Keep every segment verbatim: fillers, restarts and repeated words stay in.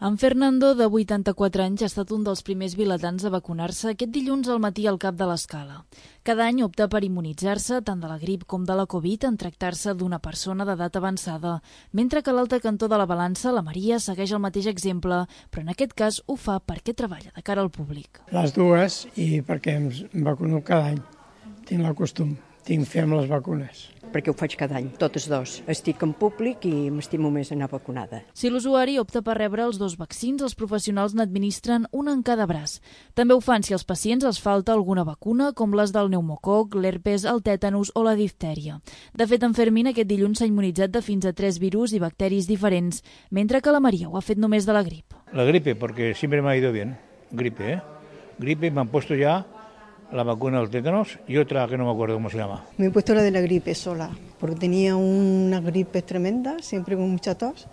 En Fernando, de vuitanta-quatre anys, ha estat un dels primers vilatans a vacunar-se aquest dilluns al matí al cap de l'Escala. Cada any opta per immunitzar-se tant de la grip com de la Covid en tractar-se d'una persona d'edat avançada, mentre que a l'altre cantó de la balança la Maria segueix el mateix exemple, però en aquest cas ho fa perquè treballa de cara al públic. Les dues i perquè em vacuno cada any. Tinc el costum, tinc fe amb les vacunes. Perquè ho faig cada any, totes dos. Estic en públic i m'estimo més anar vacunada. Si l'usuari opta per rebre els dos vaccins, els professionals n'administren una en cada braç. També ho fan si als pacients els falta alguna vacuna, com les del pneumococ, l'herpes, el tètanus o la diftèria. De fet, en Fermín aquest dilluns s'ha immunitzat de fins a tres virus i bacteris diferents, mentre que la Maria ho ha fet només de la grip. La gripe, porque siempre me ha ido bien. Gripe, ¿eh? Gripe, me han puesto ya la vacuna del tétanos y otra que no me acuerdo cómo se llama. Me he puesto la de la gripe sola, porque tenía una gripe tremenda, siempre con mucha tos,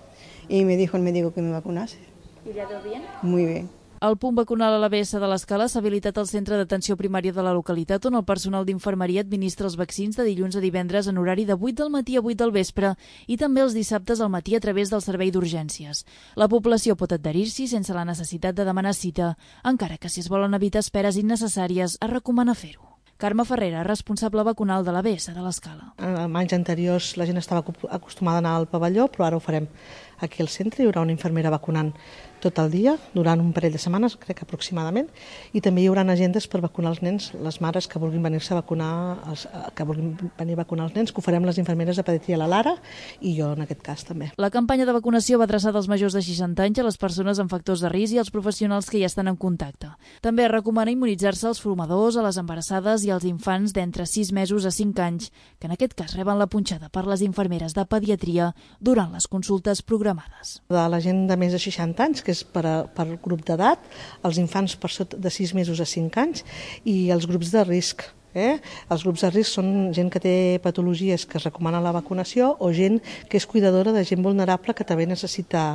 y me dijo el médico que me vacunase. ¿Y le ha ido bien? Muy bien. El punt vacunal a l'A B S de l'Escala s'ha habilitat al centre d'atenció primària de la localitat, on el personal d'infermeria administra els vaccins de dilluns a divendres en horari de vuit del matí a vuit del vespre i també els dissabtes al matí a través del servei d'urgències. La població pot adherir-s'hi sense la necessitat de demanar cita, encara que si es volen evitar esperes innecessàries es recomana fer-ho. Carme Ferrera, responsable vacunal de l'A B S de l'Escala. En anys anteriors la gent estava acostumada a anar al pavelló, però ara ho farem aquí al centre. Hi haurà una infermera vacunant tot el dia, durant un parell de setmanes, crec que aproximadament, i també hi haurà agendes per vacunar els nens, les mares que vulguin venir-se a vacunar, els, que vulguin venir a vacunar els nens, que ho farem les infermeres de pediatria, la Lara, i jo en aquest cas també. La campanya de vacunació va adreçada als majors de seixanta anys, a les persones amb factors de risc i als professionals que ja estan en contacte. També es recomana immunitzar-se als fumadors, a les embarassades i als infants d'entre sis mesos a cinc anys, que en aquest cas reben la punxada per les infermeres de pediatria durant les consultes programades. De la gent de més de seixanta anys, que és per, a, per grup d'edat, els infants per sota de sis mesos a cinc anys i els grups de risc. Eh? Els grups de risc són gent que té patologies que es recomana la vacunació o gent que és cuidadora de gent vulnerable que també necessita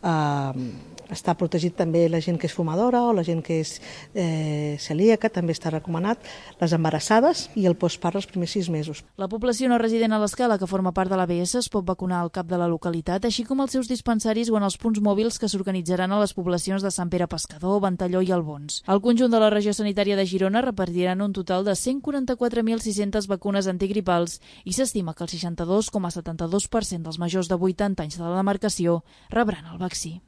eh, estar protegit, també la gent que és fumadora o la gent que és eh, celíaca, també està recomanat, les embarassades i el postpart els primers sis mesos. La població no resident a l'Escala que forma part de l'A B S es pot vacunar al cap de la localitat, així com als seus dispensaris o en els punts mòbils que s'organitzaran a les poblacions de Sant Pere Pescador, Ventalló i Albons. Al conjunt de la regió sanitària de Girona repartiran un total de cent quaranta-quatre mil sis-centes vacunes antigripals i s'estima que el seixanta-dos coma setanta-dos per cent dels majors de vuitanta anys de la demarcació rebran el vaccí.